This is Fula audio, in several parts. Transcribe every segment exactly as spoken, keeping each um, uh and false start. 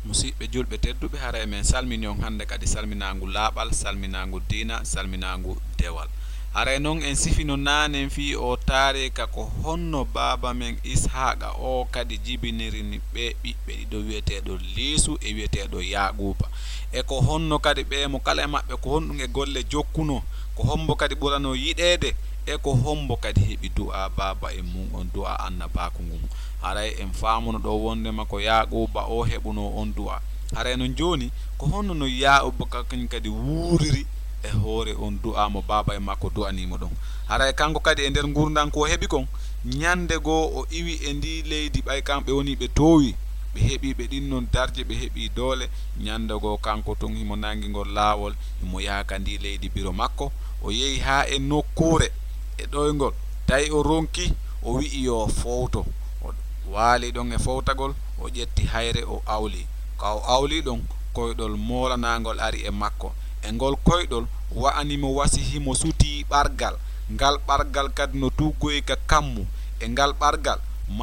Musiɓɓe julɓe tedduɓe, haray men salmini on hannde kadi salminaangu laaɓal, salminaangu diina, salminaangu dewal. Haray non en sifino naanen fii oo taariika ko honno baaba men Ishaaqa oo kadi jibiniri ni ɓee ɓiɓɓe ɗiɗo wi'eteeɗo Liisu e wi'eteeɗo Yaaquuba. E ko honno kadi ɓee mo kala e maɓɓe ko honɗum e golle jokkunoo, ko hommbo kadi ɓuranoo yiɗeede, e ko hommbo kadi heɓi du'aa baaba e mum on, du'aa annabaaku ngun. Haray en faamuno ɗoo wonndema ko Yaaquuba oo heɓunoo on du'aa. Haray non jooni, ko honno no Yaaquuba ka-, kañum kadi wuuriri e hoore on du'aa mo baaba e makko du'anii mo ɗon? Haray kanko kadi e nder ngurndan ko o heɓi kon, ñannde goo o iwi e ndii leydi, ɓay kamɓe wonii ɓe toowii, ɓe heɓii ɓe ɗin non darje, ɓe heɓii doole. Ñannde goo kanko tun himo nanngi ngol laawol, himo yaha ka ndii leydi biro makko. O yehi haa e nokkuure e ɗoyngol, tawi o ronki, o wi'i yo o fowto. O waali ɗon e fowtagol, o ƴetti hayre, o awli. Ka o awli ɗon, koyɗol moolanaangol ari e makko. E ngol koyɗol wa'ani mo wasi himo sutii ɓargal. Ngal ɓargal kadi no tuggoyi ka kammu. E ngal ɓargal,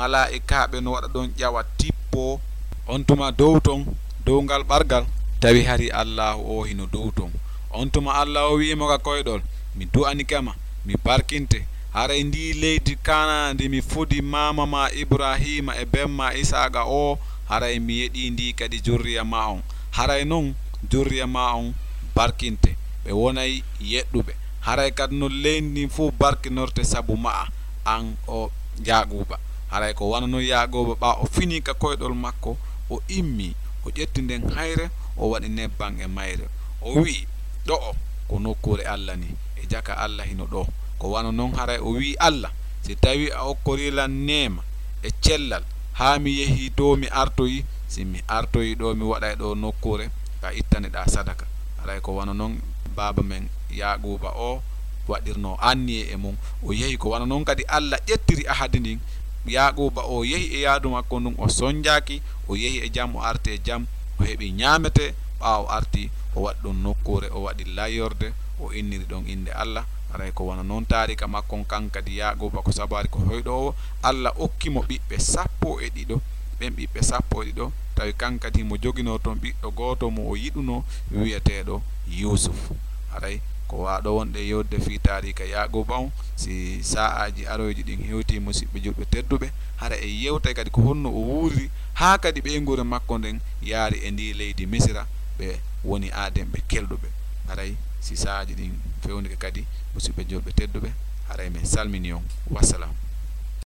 malaa'ikaaɓe no waɗa ɗon ƴawa tippoo. On tuma dow ton, dow ngal ɓargal, tawi hari Allaahu oo hino dow ton. On tuma Alla oo wi'i mo ka koyɗol, "Mi du'anike ma, mi barkinte. Haray ndii leydi Kaanaa ndi mi fodi maama maa Iburaahiima e ben maa Isaaqa oo, haray mi yeɗii ndi kadi jurriya maa on. Haray non jurriya maa on barkinte, ɓe wonay yeɗɗuɓe. Haray kadi non leydi ndin fow barkinorte sabu ma'a, an oo Yaaquuba." Haray ko wano non Yaaquuba, ɓaa o finii ka koyɗol makko, o immii, o ƴetti nden hayre, o waɗi nebban e mayre. O wi'i, "Ɗo'o ko nokkuure Alla ni, e jaka Alla hino ɗoo." Ko wano non haray o wi'i Alla, "Si tawii a okkorii lan neema e cellal, haa mi yehii to mi artoyi, si mi artoyi ɗoo, mi waɗay ɗoo nokkuure ka ittaneɗaa sadaka." Haray ko wano non baaba men Yaaquuba oo waɗirnoo anniye e mum. O yehi ko wano non kadi Alla ƴettiri ahadi ndin. Yaaquuba oo yehi e yaadu makko ndun, o sonjaaki, o yehi e jam, o arti e jam, o heɓi ñaametee. Ɓaawo arti, o waɗi ɗon nokkuure, o waɗi layyorde, o inniri ɗon innde Alla. Haray ko wano non taariika makko on, kan kadi Yaaquuba ko sabaari ko hoyɗoowo, Alla okki mo ɓiɓɓe sappo e ɗiɗo. Ɓen ɓiɓɓe sappo e ɗiɗo, tawi kan kadi himo joginoo ton ɓiɗɗo gooto mo o yiɗunoo, wi'eteeɗo Yuusuf. Haray ko waaɗo wonde yewde fii taariika Yaaquuba on, si sa'aaji aroyji ɗin hewtii, musiɓɓe julɓe tedduɓe, hara en yewtay kadi ko honno o wuuriri, haa kadi ɓeynguure makko nden yaari e ndii leydi Misira, ɓe woni aaden ɓe kelɗuɓe. Haray si sa'aaji ɗin fewnike kadi, musiɓɓe julɓe tedduɓe, haray men salmini on. Wassalam.